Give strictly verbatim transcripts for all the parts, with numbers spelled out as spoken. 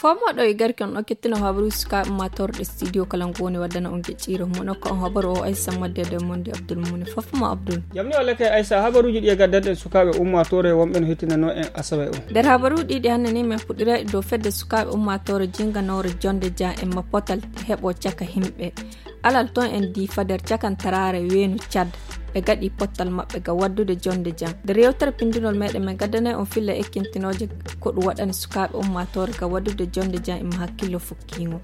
Fommo ɗo e garki on ɗo kettino habaruuji sukaaɓe ummaatooreɗe studio kala ngo woni waddana on geƴƴiire mum on ko on habaru o aysa madde e nder monde abdul mumuni fofmo abdul. Jamni walla kay aysa habaruuji ɗi e gaddanɗen sukaaɓe ummaatoore wonɓe no hettinanoo en asawe o. Nder habaruuji ɗiɗi hannde ni men puɗɗira e dow fedde sukaaɓe ummaatoore jinganoore jonde jan e ma potal heɓo caka himɓe alal ton en diifa nder cakantaraare weenu cad. Ɓe gaɗi pottal maɓɓe ga waddude jonde jan nder yewtere pindinol meɗen men gaddanay on filla ekkintinooje ko ɗum waɗani sukaaɓe ummaatoore ga waddude jonde jan ima hakkillo fukkiingo.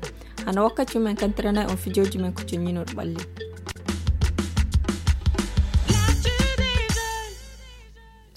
Hano wakkati men kantiranay on fijooji men ko coññinol ɓalli.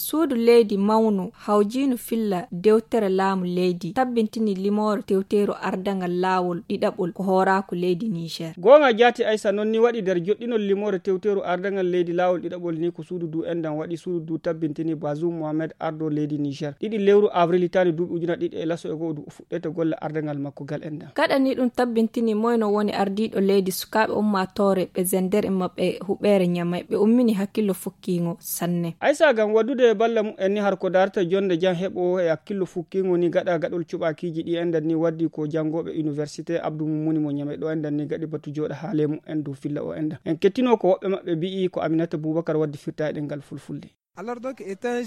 Suudu leydi mawnu hawjiinu filla dewtere laamu leydi tabbintini limoore tewteeru ardangal laawol ɗiɗaɓol ko hooraaku leydi niger. Goonga jaati aysa noon ni waɗi nder joɗɗinol limoore tewteeru ardangal leydi laawol ɗiɗaɓol ni ko suudu du endan waɗi suudu du tabbintini bazum mohamed ardo leydi niger ɗiɗi lewru avril hitaani duuɓi ujuna ɗiɗi e laso e goo du o fuɗɗete golle ardangal makko gal endan. Gaɗani ɗum tabbintini moyno woni ardiiɗo leydi sukaaɓe ummaatoore ɓe zender e maɓɓe huɓeere ñamay ɓe ummini hakkillo fukkiingo sanne. Aysa gam waddude e balla mumen ni har ko darta jonde jan heɓo e hakkillo fukkiingo ni gaɗa gaɗol cuɓakiiji ɗi endan ni waddi ko janngooɓe université abdou mumuni mo ñamay ɗo endan ni gaɗi batu jooɗa haale mumen dow filla o endan en kettino ko woɓɓe maɓɓe mbi'i ko aminata boubakar waddi firta e ɗengal fulfulde.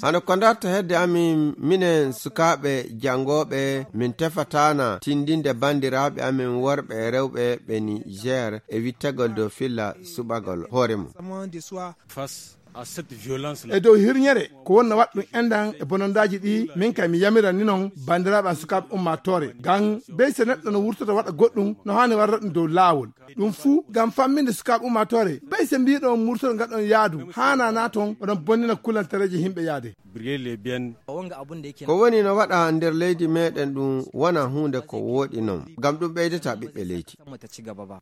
Hano ko ndarta hedde amin minen sukaaɓe janngooɓe min tefataana tindinde banndiraaɓe amin worɓe e rewɓe ɓe niger e wittagol dow filla suɓagol hoore mum. E dow hirñere ko wonna waɗ ɗum enɗan e bonondaaji ɗi min kay mi yamira ni noon banndiraaɓe am sukaaɓe ummaatoore ngam bey so neɗɗo no wurtota waɗa goɗɗum no haani warra ɗum dow laawol. Ɗum fuu ngam famminde sukaaɓe ummaatoore bey so mbiiɗon murtoɗo ngaɗon yaadu haanana toon oɗon bonnina kulantareeji yimɓe yaade. Ko woni no waɗa nder leydi meɗen ɗum wona huunde ko wooɗi noon ngam ɗum ɓeydata ɓiɓɓe leydi.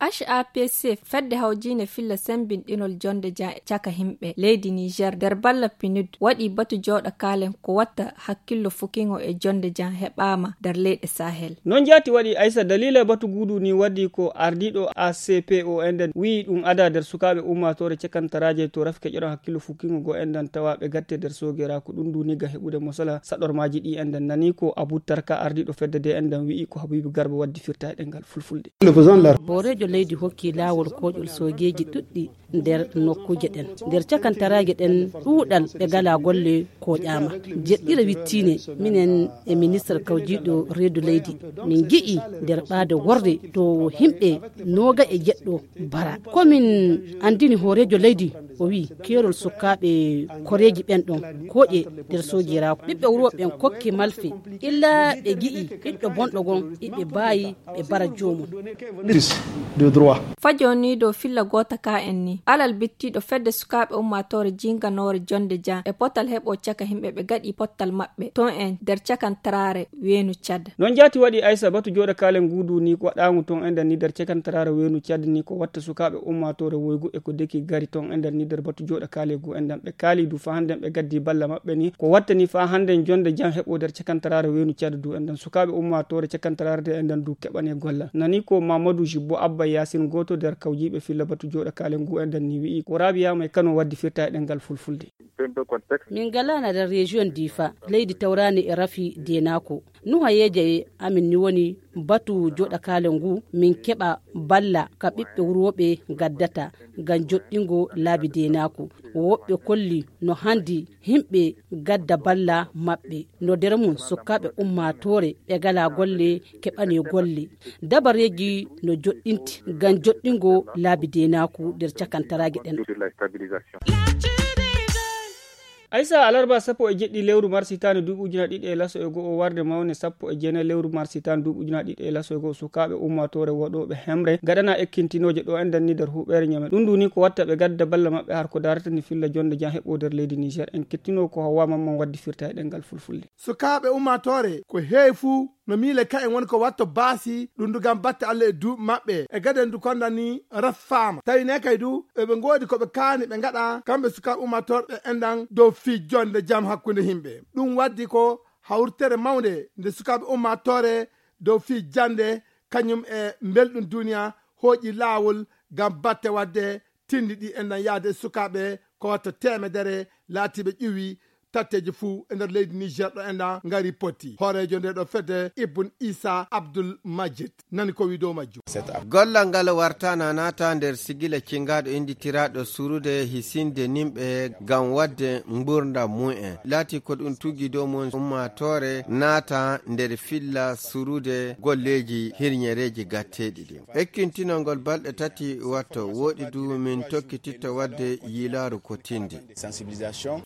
H A P C fedde hawjiinde filla semmbinɗinol jonnde jam e caka yimɓe leydi niger nder balla pinud waɗi batu jooɗa kaalen ko watta hakkillo fukingo e jonnde jam heɓaama nder leyɗe sahel. Noon jaati waɗi aysa daliila batu guudu ni waddi ko ardiiɗo A C P O enɗan wi'i ɗum ada nder sukaaɓe ummaatoore cakantaraaje to rafi keƴoɗon hakkillo fukingo goo enɗan tawa ɓe gatte nder soogeeraaku ɗum ndu ni ga heɓude mosala saɗormaaji ɗi enɗan nani ko abu tarka ardiiɗo fedde de enɗan wi'i ko habiibu garba waddi firta e ɗemngal fulfulde. Hooreejo leydi hokki laawol kooƴol soogeeji ɗuɗɗi nder nokkuuje ɗen nder cakantaraaje ɗen ɗuuɗal ɓe ngalaa golle kooƴaama. Jeɗɗira wittiine minen e ministre kawjiiɗo reedu leydi min ngi'i nder ɓaade worre to yimɓe nooga e jeɗɗo bara ko min anndini hooreejo leydi o wi'i keerol sukaaɓe koreeji ɓen ɗon kooƴe nder soojeeraaku ɓiɓɓe wuro ɓen kokke malfe illa ɓe ngi'i ɓiɗɗo bonɗo gon iɓe mbaawi ɓe mbara joomum. Fajoni dow filla goota ka en ni alal bittiiɗo fedde sukaaɓe ummaatoore jiinganoore jonnde jam e potal heɓo caka yimɓe ɓe gaɗi pottal maɓɓe ton en nder cakantaraare weenu cad. Noon jaati waɗi aysa batu jooɗa kaalen nguudu ni ko waɗaangu ton enɗan ni nder cakantaraare weenu cad ni ko watta sukaaɓe ummaatoore woygu e ko deki gari ton enɗan ni nder batu jooɗa kaale guu enɗan ɓe kaali du faa hannden ɓe gaddi balla maɓɓe ni ko watta ni faa hannden jonnde jam heɓo nder cakantaraare weenu cad du enɗan sukaaɓe ummaatoore cakantaraare de enɗan du keɓane gollal nani ko mamadou jibbo abba yasin gooto nder kawjiiɓe filla batu jooɗa kaale nguu enɗan ni wi'i ko rabiya may kano waddi firta e ɗemngal fulfulde. Min ngalaana nder rejiyon difa leydi tawraani e rafi deenaako nuhayeeje amin ni woni batu joɗakaale ngu min keɓa balla ka ɓiɓɓe wurooɓe ngaddata ngam joɗɗingo laabi deenaaku woɓɓe kolli no handi yimɓe gadda balla maɓɓe no nder mum sukkaaɓe ummaatoore ɓe ngalaa golle keɓane golle dabareeji no joɗɗinti ngam joɗɗingo laabi deenaaku nder cakantaraaji ɗen. Aysa alarba sappo e jeɗɗi lewru mars hitaande duuɓi ujunaaji ɗiɗi e laso e go'o warde mawne sappo e jeenayi lewru mars hitaande duuɓi ujunaaji ɗiɗi e laso e go'o sukaaɓe ummaatoore waɗooɓe hemre ngaɗana ekkintinooje ɗo enɗan ni nder huɓeere ñame ɗum ndu ni ko watta ɓe gadda balla maɓɓe har ko daarata ni filla jonnde jam heɓo nder leydi niger en kettinoo ko hawwa mamman waddi firta e ɗemngal fulfulde. Sukaaɓe ummaatoore ko heewi fuu no miile ka'en woni ko watto baasi ɗum ndu ngam batte allah e duuɓi maɓɓe e gaden ndu konda ni raffaama tawi ne kay du eɓe ngoodi ko ɓe kaani ɓe ngaɗa kamɓe sukaaɓe ummaatoore ɓe enɗan dow fii jonnde jam hakkunde yimɓe ɗum waddi ko hawritere mawnde nde sukaaɓe ummaatoore dow fii jannde, kañum e mbelɗum duniya, hooƴi laawol ngam batte waɗde tinndi ɗi enɗan yahde e sukaaɓe ko watta teemedere laatiiɓe ƴuwi tatteeji fuu e nder leydi Niger ɗo enɗan ngari poti. Hooreejo nde ɗo fedde Ibn Isa Abdul Majid nani ko wii dow majjum. Gollal ngal wartana naata nder sigila cingaaɗo innditiraaɗo surude hisinde nimɓe ngam waɗde nguurndam mumen. Laati ko ɗum tuggi dow mum ummaatoore naata nder filla surude golleeji hirñereeji gatteeɗi ɗin. Ekkintinol ngol balɗe tati watto, woɗi du min tokkititto waɗde yiilaaru ko tindi.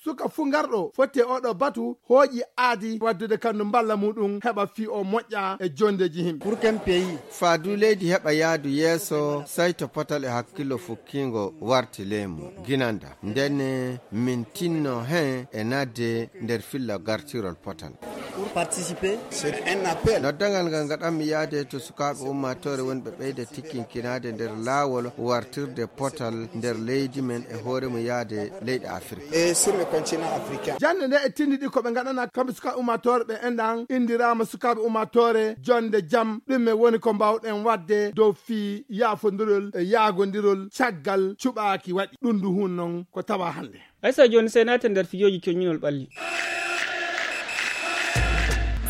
Suka fuu ngarɗo foti e oɗo batu hooƴi aadi waddude kandu mballa muɗum heɓa fii o moƴƴa e jondeeji himɓe. Pour qu'un pays Faadu leydi heɓa yaadu yeeso, sayto potal e hakkillo fukkingo warti leymu ginanda. Ndenne min tinno hen e nadde nder filla gartirol potal. Pour participer, c'est un appel. Noddangal ngal ngaɗanmi yaade to sukaaɓe ummaatoore wonɓe ɓeyda tikkinkinaade nder laawol wartirde potal nder leydi men e hoore mum yaade leyɗe Afirka. Et sur le continent africain. Jannde nde e tinndi ɗi ko ɓe ngaɗana kamɓe sukaaɓe ummaatoore ɓe enɗan inndiraama sukaaɓe ummaatoore jonde jam. Ɗum e woni ko mbaawɗen waɗde dow fii yaafondirol e yaagondirol caggal cuɓaaki waɗi. Ɗum ndu hun non ko tawa hannde. Aysa jooni sey naate nder fijooji coññinol ɓalli.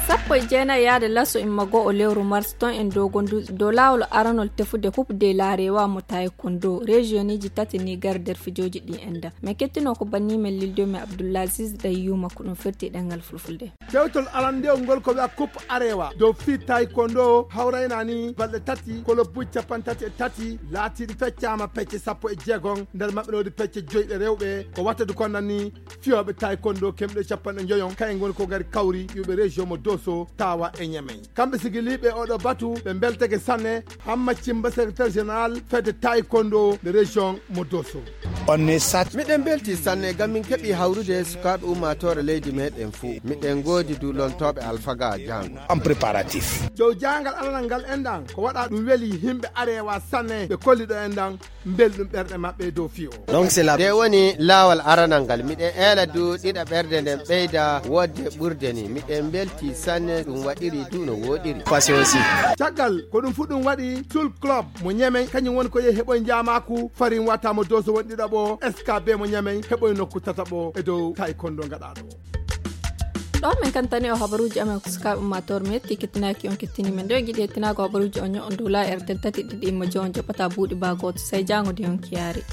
Sappo e jeenayi yaade laso imma go'o lewru mars ton en dogondu dow laawol aranol tefude coupe de la rewa mo taekwondo regioniji tati niger nder fijooji ɗi enda. Min kettino ko banni men lildo men abdoulaziz ɗay yuma ko ɗum firti ɗengal fulfulde. Tewtol arandewol ngol ko wiya coupe arewa dow fii taekwondo hawrayna ni balɗe tati kolobuji capanɗe tati e tati laatiiɗi feccama pecce sappo e jeegom. Nder maɓɓe no woodi pecce joyɗe rewɓe ko wattadu konnani fiyooɓe taekwondo kemɗe capanɗe njoyon kayen ngoni ko ngari kawri iwɓe région mo doso tawa e ñamey. Kamɓe sigiliiɓe oɗo batu ɓe mbeltake sanne. Hamma cimba secrétaire général fedde taekwondo de région mo doso. Miɗen mbelti sanne ngam min keɓi hawrude sukaaɓe ummaatoore leydi meɗen fuu. Miɗen ngoodi du lontooɓe alfaga jaango. En préparatif. Dow jaangal alanal ngal enɗan ko waɗa ɗum weli yimɓe arewa sanne ɓe kolliɗo enɗan mbelɗum ɓerɗe maɓɓe dow fiyo. Donc c'est la. Nde woni laawal aranal ngal. Miɗen eela du ɗiɗa ɓerde nden ɓeyda wodde ɓurde ni. Miɗen mbelti sanne ɗum waɗiri du no woɗiri. Passé aussi. Caggal ko ɗum fu ɗum waɗi sul club mo ñamey kañum woni ko yehi heɓoy njaamaku farin wata mo doso won ɗiɗaɓo skb mo ñamey heɓoy nokku tataɓo e dow taekwondo ngaɗaɗo. Ɗo min kantani o habaruuji amen ko sukaaɓe ummaatoore mi yetti kettinaaki on kettini men ɗo e giɗi hettinaago habaruuji on ño'o dow la rtl tati ɗiɗi imma joon jaɓata buuɗi baa gooto sey jaango de on kiyaari.